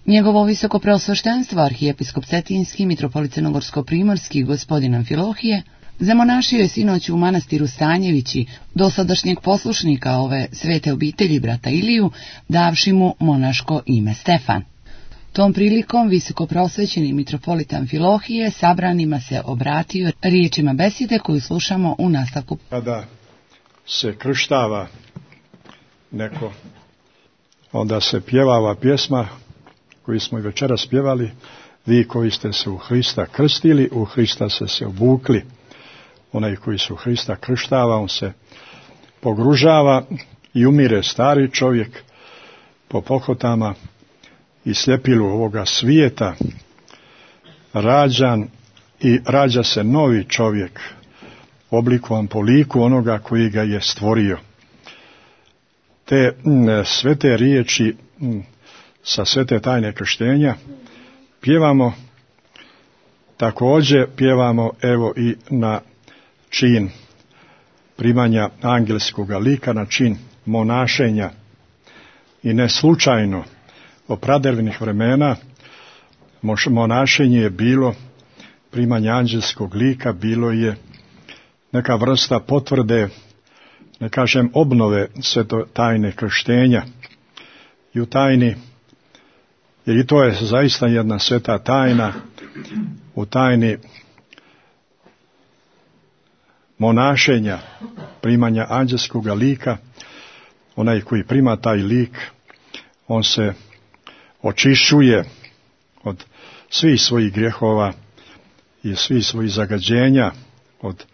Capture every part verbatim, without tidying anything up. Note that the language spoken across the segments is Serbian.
Njegovo visokopreosveštenstvo arhijepiskop Cetinski, mitropolit crnogorsko-primorski gospodin Amfilohije, zamonašio je sinoć u manastiru Stanjevići dosadašnjeg poslušnika ove svete obitelji brata Iliju, davši mu monaško ime Stefan. Tom prilikom visokopreosvećeni mitropolit Amfilohije sabranima se obratio riječima besjede koju slušamo u nastavku. Kada se krštava neko, onda se pjeva ova pjesma koju smo i večeras pjevali: vi koji ste se u Hrista krstili, u Hrista ste se obukli. Onaj koji se u Hrista krštava, on se pogružava i umire stari čovjek po pohotama i sljepilu ovoga svijeta, rađan i rađa se novi čovjek, oblikovan po liku onoga koji ga je stvorio. Te svete riječi sa svete tajne krštenja pjevamo, također pjevamo evo i na čin primanja angelskoga lika, na čin monašenja. I ne slučajno od pradrevnih vremena monašenje je bilo primanje angelskog lika, bilo je neka vrsta potvrde, ne kažem obnove sveto tajne krštenja. I u tajni, jer i to je zaista jedna sveta tajna, u tajni monašenja, primanja anđelskog lika, onaj koji prima taj lik, on se očišćuje od svih svojih grijehova i svih svojih zagađenja, od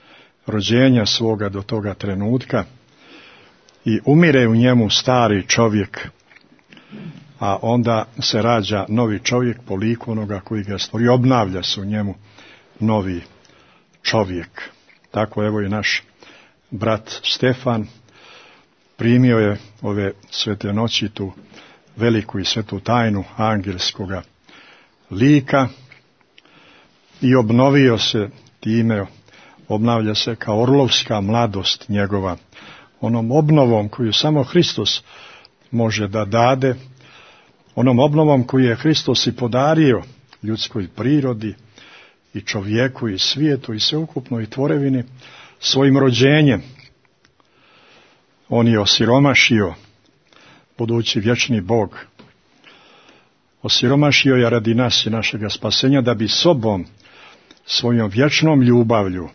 rođenja svoga do toga trenutka, i umire u njemu stari čovjek, a onda se rađa novi čovjek po liku onoga koji ga stvori, obnavlja se u njemu novi čovjek. Tako evo i naš brat Stefan primio je ove svete noći tu veliku i svetu tajnu angelskoga lika i obnovio se time, obnavlja se kao orlovska mladost njegova, onom obnovom koju samo Hristos može da dade, onom obnovom koju je Hristos i podario ljudskoj prirodi i čovjeku i svijetu i sveukupnoj tvorevini svojim rođenjem. On je osiromašio, budući vječni Bog, osiromašio je radi nas i našega spasenja, da bi sobom, svojom vječnom ljubavlju,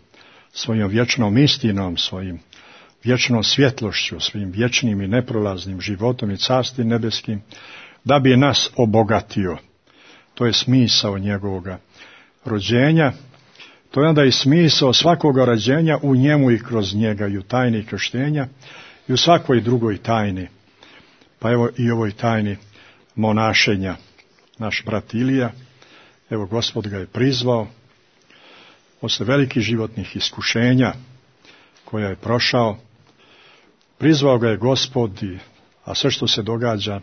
svojom vječnom istinom, svojim vječnom svjetlošću, svojim vječnim i neprolaznim životom i carstvom nebeskim, da bi nas obogatio. To je smisao njegovoga rođenja. To je onda i smisao svakoga rođenja u njemu i kroz njega, i u tajni krštenja, i u svakoj drugoj tajni. Pa evo i ovoj tajni monašenja. Naš brat Ilija, evo Gospod ga je prizvao, posle velikih životnih iskušenja koja je prošao, prizvao ga je Gospod, a sve što se događa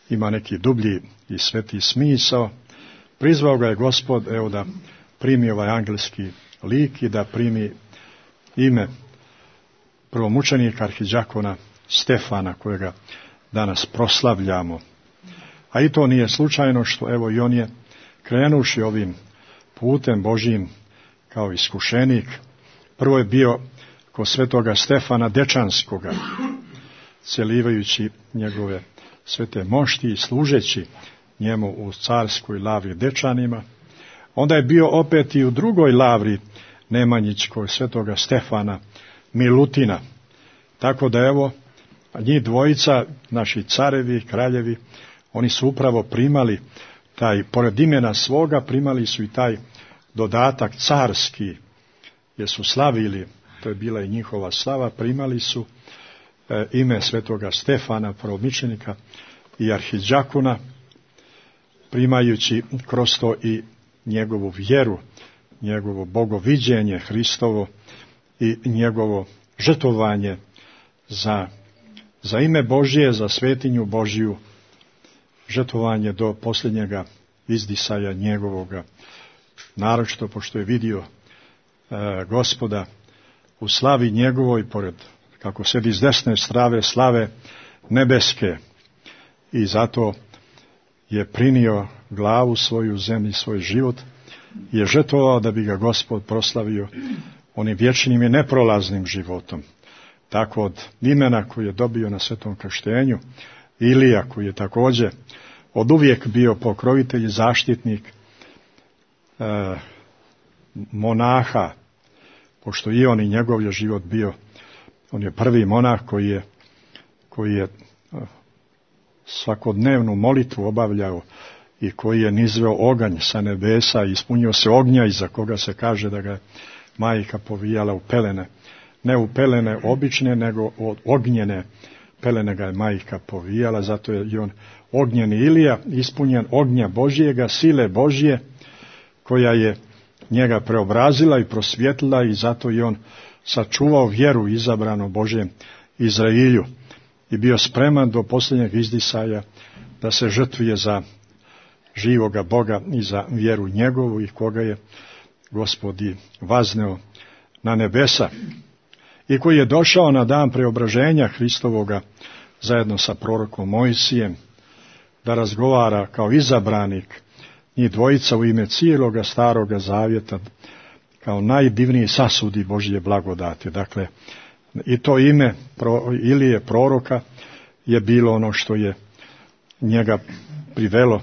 ima neki dublji i sveti smisao. Prizvao ga je Gospod, evo, da primi ovaj angelski lik i da primi ime prvomučenika arhidžakona Stefana, kojega danas proslavljamo. A i to nije slučajno što evo i on je, krenuši ovim putem Božjim kao iskušenik, prvo je bio kod svetoga Stefana Dečanskoga, celivajući njegove svete mošti i služeći njemu u carskoj lavri Dečanima. Onda je bio opet i u drugoj lavri nemanjičkoj svetoga Stefana Milutina. Tako da evo, njih dvojica, naši carevi, kraljevi, oni su upravo primali taj, pored imena svoga, primali su i taj dodatak carski, jer su slavili, to je bila i njihova slava, primali su e, ime svetoga Stefana, prvomučenika i arhidžakona, primajući kroz to i njegovu vjeru, njegovo bogoviđenje Hristovo i njegovo žrtvovanje za, za ime Božje, za svetinju Božju, žrtvovanje do posljednjega izdisaja njegovoga, naročito pošto je vidio e, Gospoda u slavi njegovoj, pored, kako sedi s desne strave slave nebeske, i zato je prinio glavu svoju zemlji, svoj život, je žrtvovao da bi ga Gospod proslavio onim vječnim i neprolaznim životom. Tako od imena koje je dobio na svetom krštenju, Ilija koji je također od uvijek bio pokrovitelj i zaštitnik e, monaha, pošto i on i njegov je život bio, on je prvi monah koji je, koji je svakodnevnu molitvu obavljao i koji je nizveo oganj sa nebesa i ispunio se ognja iza koga se kaže da ga je majka povijala u pelene. Ne u pelene obične, nego od ognjene pelene ga je majka povijala, zato je i on ognjeni Ilija, ispunjen ognja Božjega, sile Božje, koja je njega preobrazila i prosvjetlila i zato je on sačuvao vjeru izabrano Božjem Izrailju i bio spreman do posljednjeg izdisaja da se žrtvuje za živoga Boga i za vjeru njegovu i koga je Gospod i vazneo na nebesa i koji je došao na dan preobraženja Hristovoga zajedno sa prorokom Mojsijem da razgovara kao izabranik njih dvojica u ime cijeloga staroga zavjeta kao najdivniji sasudi Božje blagodati. Dakle, i to ime Ilije proroka je bilo ono što je njega privelo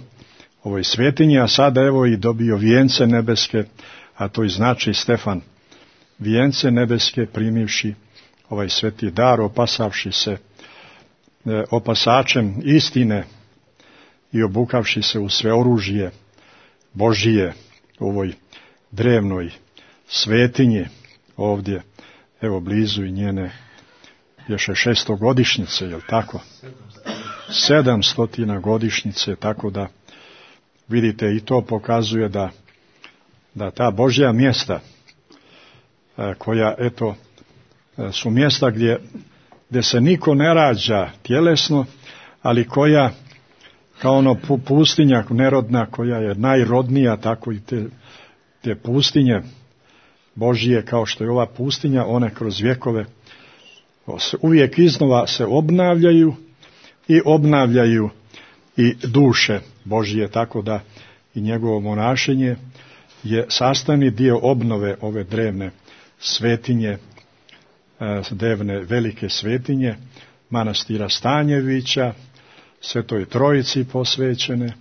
ovoj svetinji, a sada evo i dobio vijence nebeske, a to i znači Stefan, vijence nebeske primivši ovaj sveti dar, opasavši se e, opasačem istine i obukavši se u sve oružje Božije u ovoj drevnoj svetinji ovdje, evo blizu i njene još je šestogodišnjice, je li tako? Sedamstotina godišnjice, tako da vidite i to pokazuje da, da ta Božja mjesta koja, eto, su mjesta gdje, gdje se niko ne rađa tjelesno, ali koja, kao ono pustinja nerodna, koja je najrodnija, tako i te, te pustinje Božije, kao što je ova pustinja, one kroz vjekove uvijek iznova se obnavljaju i obnavljaju i duše Božije, tako da i njegovo monašenje je sastavni dio obnove ove drevne svetinje, drevne velike svetinje, manastira Stanjevića, Svetoj Trojici posvećene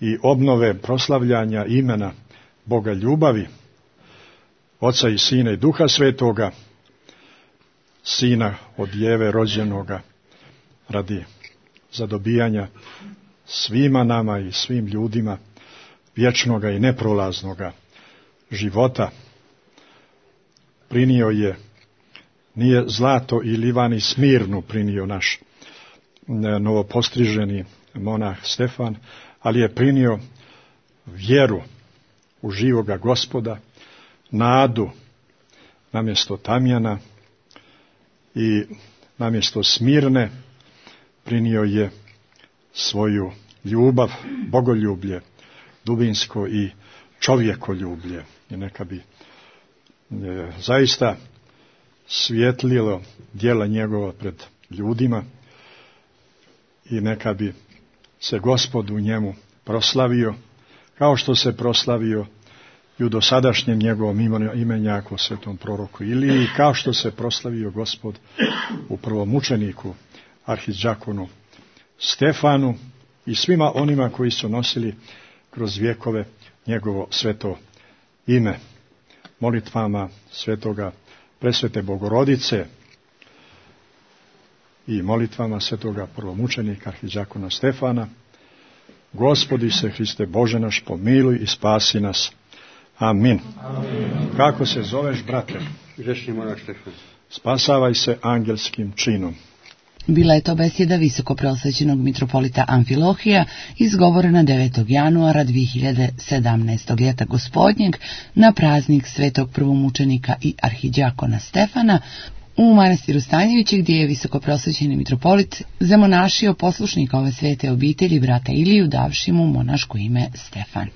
i obnove proslavljanja imena Boga ljubavi, Oca i Sina i Duha Svetoga, Sina od Jeve rođenoga radi zadobijanja svima nama i svim ljudima vječnoga i neprolaznoga života. Prinio je, nije zlato i livan i smirnu prinio naš novopostriženi monah Stefan, ali je prinio vjeru u živoga Gospoda, nadu namjesto tamjana i namjesto smirne prinio je svoju ljubav, bogoljublje, dubinsko i čovjekoljublje. I neka bi e, zaista svjetlilo djela njegova pred ljudima i neka bi se Gospod u njemu proslavio, kao što se proslavio i u dosadašnjem njegovom imenjaku svetom proroku Iliji, kao što se proslavio Gospod u prvom mučeniku arhidžakonu Stefanu i svima onima koji su nosili kroz vjekove njegovo sveto ime. Molitvama svetoga presvete Bogorodice i molitvama svetoga prvomučenika arhidžakona Stefana, Gospodi se Hriste Bože naš, pomiluj i spasi nas. Amin. Amin. Kako se zoveš, brate? Grešni monah Stefan. Spasavaj se angelskim činom. Bila je to besjeda visokopreosvećenog mitropolita Amfilohija, izgovorena devetog januara dvije hiljade sedamnaestog ljeta gospodnjeg na praznik svetog prvomučenika i arhidžakona Stefana u manastiru Stanjevići, gdje je visokopreosvećeni mitropolit zamonašio poslušnika ove svete obitelji brata Iliju, davši mu monaško ime Stefan.